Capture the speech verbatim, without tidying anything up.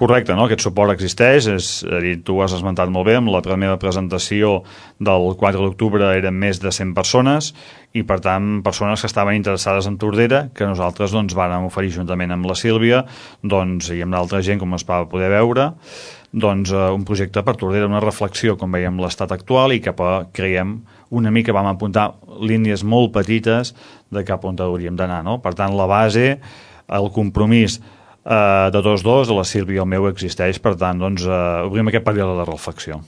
Correcte, no? Aquest suport existeix, és a dir, tu ho has esmentat molt bé, amb la meva presentació del quatre d'octubre eren més de cent persones i per tant persones que estaven interessades en Tordera, que nosaltres doncs vàrem oferir juntament amb la Sílvia doncs, i amb d'altra gent com es va poder veure doncs, un projecte per Tordera, una reflexió com veiem l'estat actual i cap a, creiem, una mica vam apuntar línies molt petites de cap on hauríem d'anar, no? Per tant la base, el compromís Uh, de tots dos, de la Sílvia i el meu existeix, per tant, doncs, uh, obrim aquest període de reflexió.